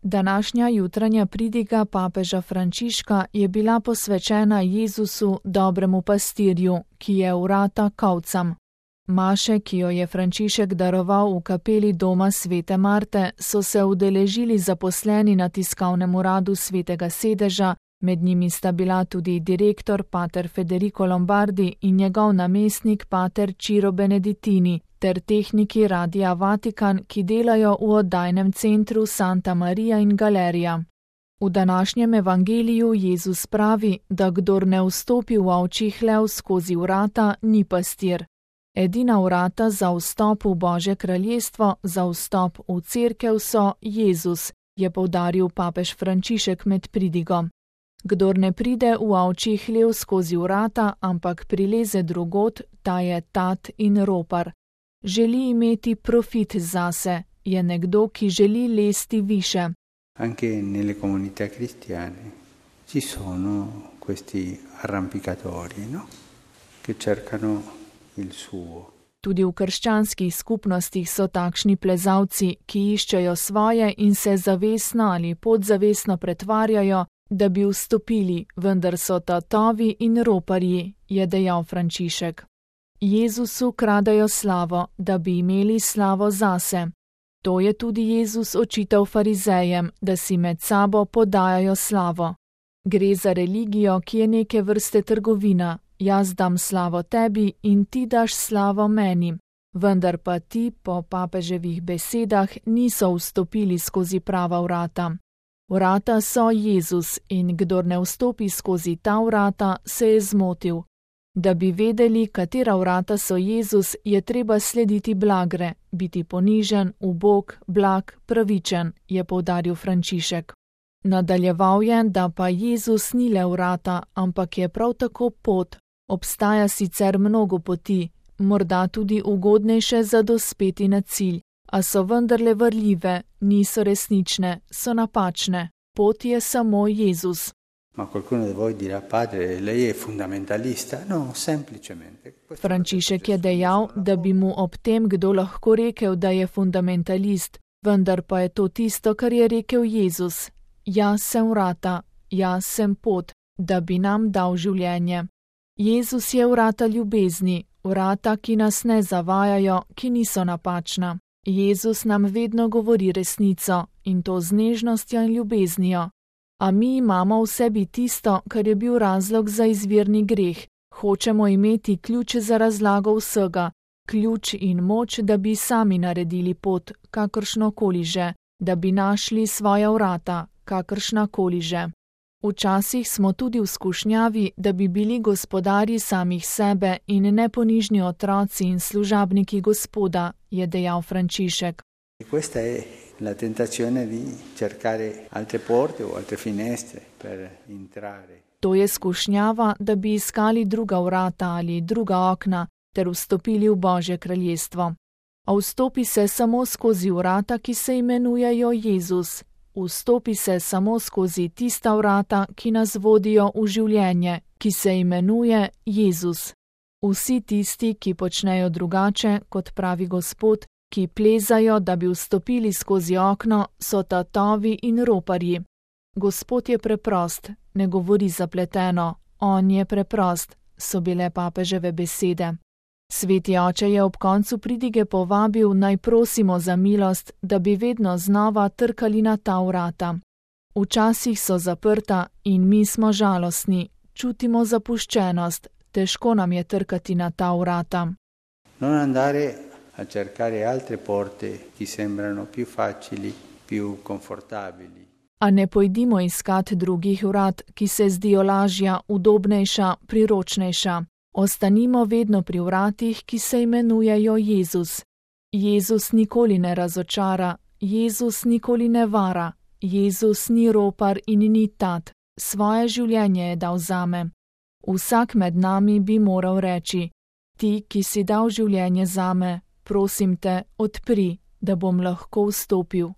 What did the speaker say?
Današnja jutranja pridiga papeža Frančiška je bila posvečena Jezusu, dobremu pastirju, ki je vrata kovcam. Maše, ki jo je Frančišek daroval v kapeli doma svete Marte, so se udeležili zaposleni na tiskovnem uradu svetega sedeža, med njimi sta bila tudi direktor pater Federico Lombardi in njegov namestnik pater Ciro Beneditini, ter tehniki Radia Vatikan, ki delajo v oddajnem centru Santa Maria in Galerija. V današnjem evangeliju Jezus pravi, da kdor ne vstopi v ovčji hlev skozi vrata, ni pastir. Edina vrata za vstop v Božje kraljestvo, za vstop v cerkev so Jezus, je poudaril papež Frančišek med pridigo. Kdor ne pride v ovčji hlev skozi vrata, ampak prileze drugod, ta je tat in ropar. Želi imeti profit zase, je nekdo, ki želi lesti više. Anche nelle comunità cristiane ci sono questi arrampicatori, no? Che cercano il suo. Tudi v krščanskih skupnostih so takšni plezalci, ki iščejo svoje in se zavestno ali podzavestno pretvarjajo, da bi vstopili, vendar so tatovi in roparji, je dejal Frančišek. Jezusu kradajo slavo, da bi imeli slavo zase. To je tudi Jezus očital farizejem, da si med sabo podajajo slavo. Gre za religijo, ki je neke vrste trgovina. Jaz dam slavo tebi in ti daš slavo meni. Vendar pa ti, po papeževih besedah, niso vstopili skozi prava vrata. Vrata so Jezus in kdor ne vstopi skozi ta vrata, se je zmotil. Da bi vedeli, katera vrata so Jezus, je treba slediti blagre, biti ponižen, ubog, blag, pravičen, je poudaril Frančišek. Nadaljeval je, da pa Jezus ni le vrata, ampak je prav tako pot. Obstaja sicer mnogo poti, morda tudi ugodnejše za dospeti na cilj, a so vendarle varljive, niso resnične, so napačne. Pot je samo Jezus. Ma qualcuno di voi dirà, padre, lei è fundamentalista? No, semplicemente. Frančišek je dejal, da bi mu ob tem kdo lahko rekel, da je fundamentalist, vendar pa je to tisto, kar je rekel Jezus. Jaz sem vrata, jaz sem pot, da bi nam dal življenje. Jezus je vrata ljubezni, vrata, ki nas ne zavajajo, ki niso napačna. Jezus nam vedno govori resnico, in to z nežnostjo in ljubeznijo. A mi imamo v sebi tisto, kar je bil razlog za izvirni greh. Hočemo imeti ključ za razlago vsega, ključ in moč, da bi sami naredili pot, kakršnokoli že, da bi našli svoja vrata, kakršnakoli že. Včasih smo tudi v skušnjavi, da bi bili gospodarji samih sebe in neponižni otroci in služabniki Gospoda, je dejal Frančišek. Questa è la tentazione di cercare altre porte o altre finestre per entrare. To je skušnjava, da bi iskali druga vrata ali druga okna ter vstopili v Božje kraljestvo. A vstopi se samo skozi vrata, ki se imenujejo Jezus. Vstopi se samo skozi tista vrata, ki nas vodijo v življenje, ki se imenuje Jezus. Vsi tisti, ki počnejo drugače, kot pravi Gospod, ki plezajo, da bi vstopili skozi okno, so tatovi in roparji. Gospod je preprost, ne govori zapleteno, on je preprost, so bile papeževe besede. Sveti oče je ob koncu pridige povabil, naj prosimo za milost, da bi vedno znova trkali na ta vrata. Včasih so zaprta in mi smo žalostni, čutimo zapuščenost, težko nam je trkati na ta vrata. Non andare a cercare altre porte ki sembrano più facili, più confortabili. A ne pojdimo iskat drugih vrat, ki se zdijo lažja, udobnejša, priročnejša. Ostanimo vedno pri vratih, ki se imenujejo Jezus. Jezus nikoli ne razočara, Jezus nikoli ne vara, Jezus ni ropar in ni tat, svoje življenje je dal zame. Vsak med nami bi moral reči: ti, ki si dal življenje zame, prosim te, odpri, da bom lahko vstopil.